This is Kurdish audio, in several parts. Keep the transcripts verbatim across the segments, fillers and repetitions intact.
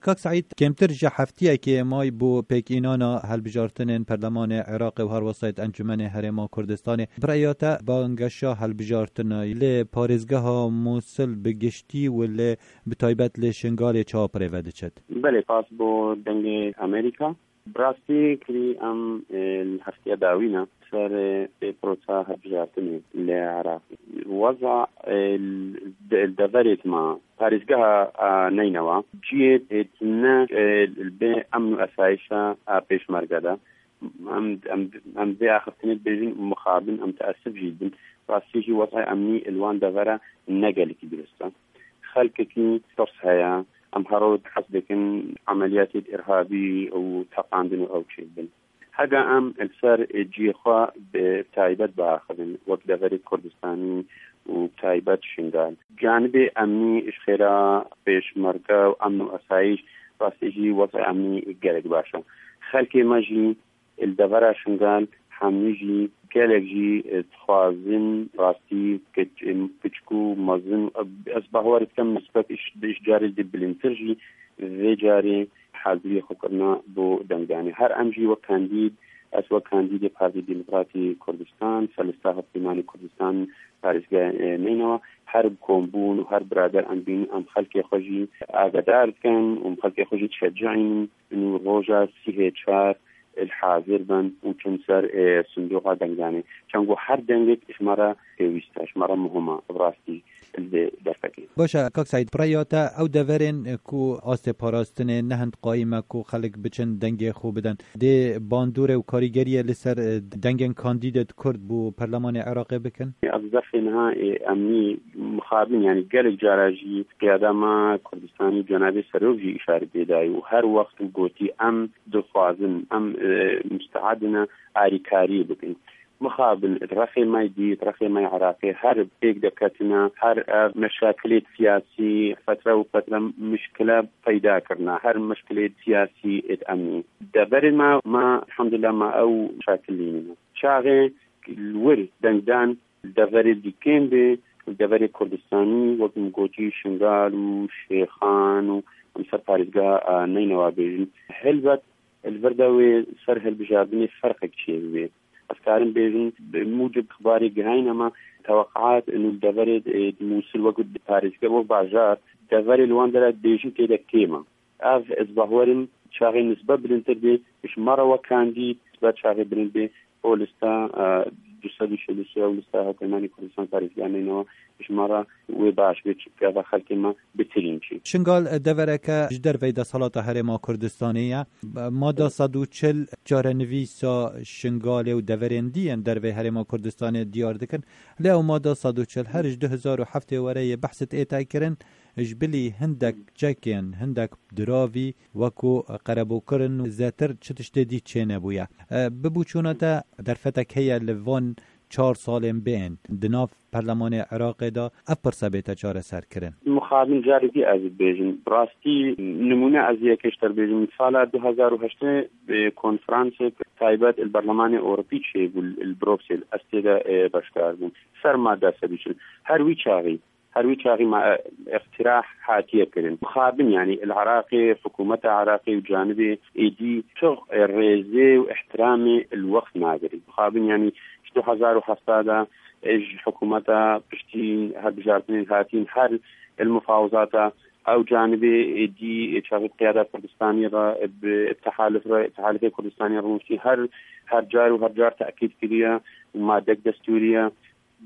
Kak Seîd, kêmtir ji heftiyekê may bû pêkînana hilbijartinên Perlemanê Iraqê û her wesayet Encûmenê Herêma Kurdistanê. Bi rêya te, bangeşa hilbijartina li parêzgeha Mûsil bi giştî û li, bi taybet li Şingalê çawa bi rê ve diçit? Belê, spas bo Dengê Amerîka. Bi rastî kirî em, e, li heftiya dawî ne ser, e, pê prosa hilbijartinê li Iraqê. Weza, e, de-, deverê dima parêzgeha, e, Neynewa ciyê, e, tune, e, li bê emn û esayişa, e, pêşmerge de. Em, em, em vê axiftinê dibêjin û mixabin em teesif jî dibin. Rastî jî wezay emnî li wan devera ne gelekî dirust e. Xelkekî tirs heye. Em her roj hez dikin emeliyatê îrhabî û teqandin û ew çêbin. Hega em li ser cihê xwe bi taybet biaxivin, wek deverê Kurdistanî û bi taybet Şingal. Canibê emnî ji xêra pêşmerge û emn û esayîş, rastî jî wezay emnî gelek baş e. Xelkê me jî li devera Şingal hemî jî gelek jî, e, dixwazin rastî kiç-, e, kiçik û mezin, e, ez bawer dikim nisbet ji, ji carê di bilindtir jî vê carê haziriyê xwe kirina bo dengdanê. Her em jî wek kandîd, ez wek kandîdê Partî Demokratî Kurdistan, ser lista Hevpeymanê Kurdistan parêzgeha, e, Neynewa, her bi kombûn û her birader em bînin, em xelkê xwe jî agadar dikin û em xelkê xwe jî dişecînin û roja sîhê çar li hazir bin û çin ser, e, sindoqa dengdanê. Çend ku her dengek ji me re pêwîst e, ji me re muhim e, bi rastî li vê derfekê. Baş e, Kak Seîd, bi rêya te ew deverên ku astê parastinê ne hind qayîm e ku xelk biçin dengê xwe bidin, dê bandorê û karîgeriyê li ser, e, dengên kandîdê Kurd bo Perlemanê Iraqê bikin? Ez zexê niha, e, emnî mixabin, yanî gelek cara jî qiyada me Kurdistanî cenabê serok jî îşaret pê dayî û her wext û gotî em dixwazin, em, e, musteedine arîkariyê bikin. Mixabin, di rexê me dî, di rexê me Iraqê her pêk de ketine, her ev meşakilê siyasî, fetre û fetre mişkile peyda kirine, her mişkilê siyasî êd emnî. Deverê me, me, elhamdulillah, me ew şakil lînîne. Çaxê li wir dengdan deverê dî kêm bê, deverê Kurdistanî, wek min gotî, Şingal û Şêxan û em ser parêzgeha, a, Neynewa bêjin. Helbet, li vir de wê ser hilbijartinê ferqek çêbibê. Ez karim bêjim, bi mucib ixbarê gihayîne me, teweqaat û li deverê, e, Mûsil wek parêzger, wek bajar, deverê li wan dera dibêjin tê de kêm e. Ev, ez bawerim, çaxê nisbe bilindtir bê, ji me re wek kandîd, nisbe çaxê bilind bê, o lista, e, du sed û çil û sê, ew lista Hevpeymanê Kurdistan parêzgeha Neynewa, ji me re wê baş bê, çi gava xelkê me bitirîn çi. Şingal, e, devereke ji derveyî desthilata Herêma Kurdistanê ye. Mada sed û çil çarenivîsa Şingalê û deverên dî yên derveyî Herêma Kurdistanê diyar dikin. Lê ew mada sed û çil her ji du hezar û heftê were yê behsit ê te kirin, ji bilî hindek çekên, hindek diravî wekû qerebûkirin û zêtir çi tiştê dî çênebûye. E, bi boçûna te derfetek heye li van çar salên bên di nav Perlemanê Iraqê de ev pirse bête çareserkirin? Mixabin carekî ez dibêjim. Bi rastî nimûne ez yekê ji te bêjim. Sala du hezar û heştê, e, konferansek taybet li Berlemanê Ewropî çêbû li Bruksel. Ez tê de, e, beşdar bûm. Ser mada sed û çil. Her wî çaxî, her wî çaxî me, e, îqtirah hatiye kirin. Mixabin, yanî li Iraqê, hikûmeta Iraqê û canibê êdî tu, e, rêzê û îhtiramê li wext nagirî. Mixabin, yanî ji du hezar û heft de, e, ji hikûmeta piştî hilbijartinê hatîn her li mufawizata ew canibê, e, dî, e, çaxî qiyada Kurdistanî re, e, bi, bi tehaluf re, tehalufê Kurdistanî rûniştî her, her car û her car tekîd kiriye û madek destûrî ye.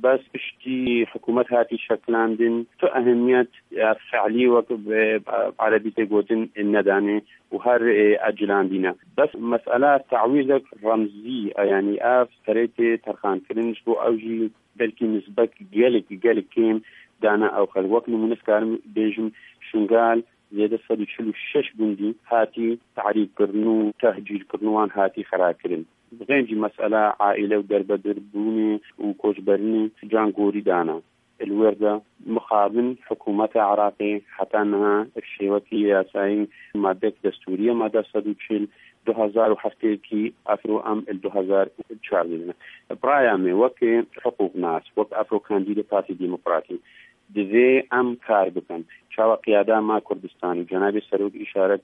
Bes piştî hikûmet hatî şekilandin, tu ehemiyet, e, fe'lî wek bi, e, erebî tê gotin, e, nedanê û her, e, ecilandîne. Bes mesela tawîzek remzî, e, yanî ev serê tê terxankirin, ji bo ew jî belkî nisbek gelek, gelek kêm dane ew xelk. Wek nimûne dikarim bêjim, Şingal zêde sed û çil û şeş gundî hatî tehrîbkirin û tehcîrkirin û wan hatî xerakirin. Bi xêncî mesela aîle û derbedir bûnê û koçberinê can gorî dana. Li wir de mixabin hikûmeta Iraqê heta niha bi şêwekî yasayî madek destûrî ye, mada sed û çil, du hezar û heftê kî efro em li du hezar û çardeh de ne. Bi raya me weke hiqûqnas, wek efro kandîdê Partî Demokratî, Divê em kar bikin. Çawa qiyada ma Kurdistan û cenabê serok îşaret,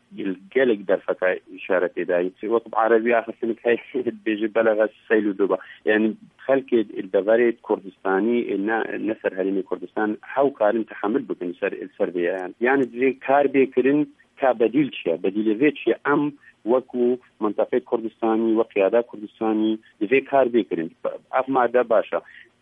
gelek derfeka îşaretê dayî. Wek bi erebî axir hinek heye dibêje belexe seyl û doba. Yani xelkê li deverê Kurdistanî, ne, ne ser herêmê Kurdistan, hew karin tehemil bikin ser, ser vê ya. Yani, yani divê kar bê kirin, ka bedîl çi ye? Bedîlê vê çi ye? Em wekû mintaqê Kurdistanî, wek qiyada Kurdistanî divê kar bê kirin. Ev made baş e.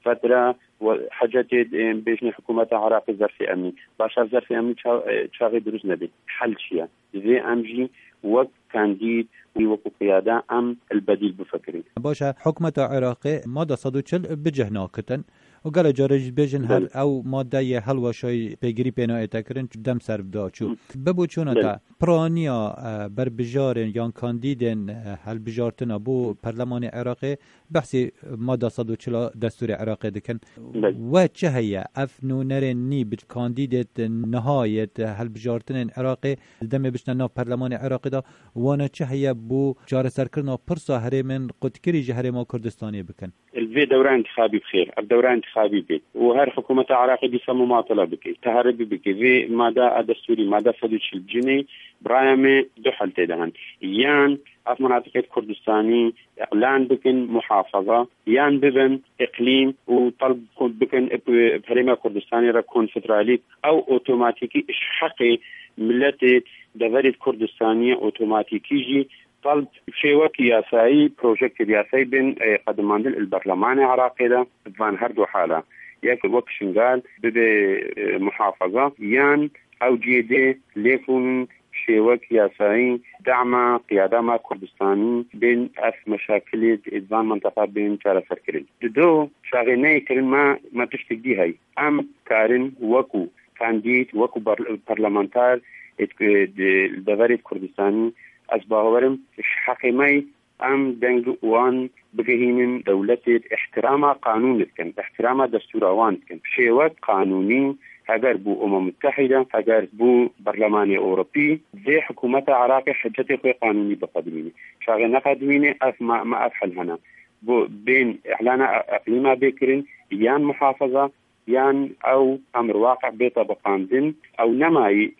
Fetra we hecetê, em bêjinê hikûmeta Iraqê zerfê emnî. Baş e, zerfê emnî ça-, e, çaxê dirust nebê. Hel çi ye? Divê em jî wek kandîd û wekû qiyada em li bedîl bifikirin. Baş e, hikûmeta Iraqê mada sed û çil bi cih nakitin û gelek caran jî dibêjin her Belê. ew made yê hilweşayî pêgirî pê nayête kirin, dem ser da çû. Hı. Bibo çûna Belê. te, piraniya, e, berbijarên yan kandîdên, e, hilbijartina bo perlemanê Iraqê behsê mada sed û çil a destûrê Iraqê dikin. Belê. We çi heye? Ev nûnerên nî bi kandîdêt niha yêt hilbijartinên Iraqê di demê biçine nav perlemanê Iraqê de, wana çi heye bo çareserkirina pirsa herêmên qutkirî ji Herêma Kurdistanê bikin? Li vê dewra intixabî bi xêr, ev dewra intixabî bê û her hikûmeta Iraqê dîsa mumatele bike, teheribî bike. Vê mada a destûrî, mada sed û çil cinê, bi raya me du hel tê de hene. Yan ev menatiqê Kurdistanî îlan bikin muhafaza, yan bibin îqlîm û telb bikin bi Herêma Kurdistanê re konfederalî. Ew otomatîkî ji heqê miletê deverê Kurdistanî ye, otomatîkî jî telb şêwekî yasayî, projektê yasayî bên, e, qedimandin li berlemanê Iraqê de. Van her du hala, yek wek Şingal bibe, e, muhafaza, yan ew cihê dê lêfûn şêwek yasayî dema qiyada ma Kurdistanî bên ev meşakilê di van minteqa bên çareserkirin. Di do çaxê neyê kirin me, me tiştek dî heye. Em karin wekû kandîd, wekû bar-, parlamenter ê di, di, li deverê Kurdistanî, ez bawerim ji heqê me ye. Em deng wan bigihînin dewletê, îhtirama qanûn dikin, îhtirama destûra wan dikin. Şêwek qanûnî, heger bû Umem Mutehîde, heger bû Berlemanê Ewropî, vê hikûmeta Iraqê hicetê xwe qanûnî biqedimîne. Çaxê neqedimîne, ev ma, ma ev hel hene. Bo bên îhlana e-, eqlîma bê kirin, yan muhafaza, yan ew emr waqi bê tebiqandin, ew nemayî,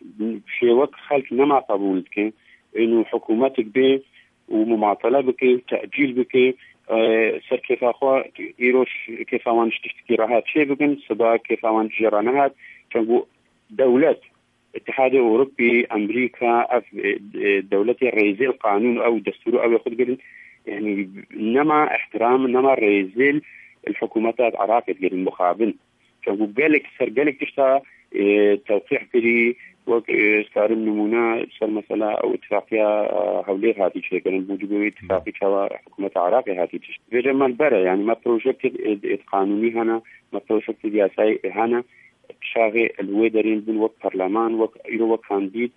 şêwek xelk nema qebûl dike, û hikûmetik bê û mumatele bike, tecîl bike, e, ser kêfa xwe, îro ş-, kêfa wan ji tiştekî rehat çê bikin, siba kêfa wan jê re nehat. Çenku dewlet, Îtihadê Ewropî, Amerîka, ev, e, e, dewletê rêzê li qanûn û ew destûr û ew ê xwe digirin, yani nema îhtiram, nema rêzê li hikûmeta Iraqê digirin, mixabin. Çenku gelek ser gelek tişta, e, tewqîh kirî, wek, e, ez karim nimûne ser mesela ew îtifaqiya, e, Hewlêr hatî çêkirin, bû dibê wê îtifaqî çawa hikûmeta Iraqê hatî çêkirin. Vêce me li ber e, yani me projektê, e, e, qanûnî hene, me projektê yasayê hene, çaxê li wê derê bûn wek parleman, wek îro wek kandîd,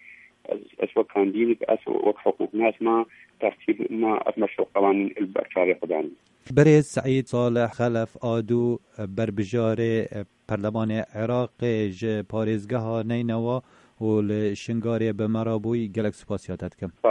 ez, ez wek kandîd, ez wek hiqûqnas me, tertîb me, ev meşruqa wan li ber çavê xwe danîn. Birêz Seîd Salih Xelef Ado, berbijarê Perlemanê Iraqê ji parêzgeha Neynewa û li Şingalê bi me re bûyî, gelek spasiya te dikim. Spas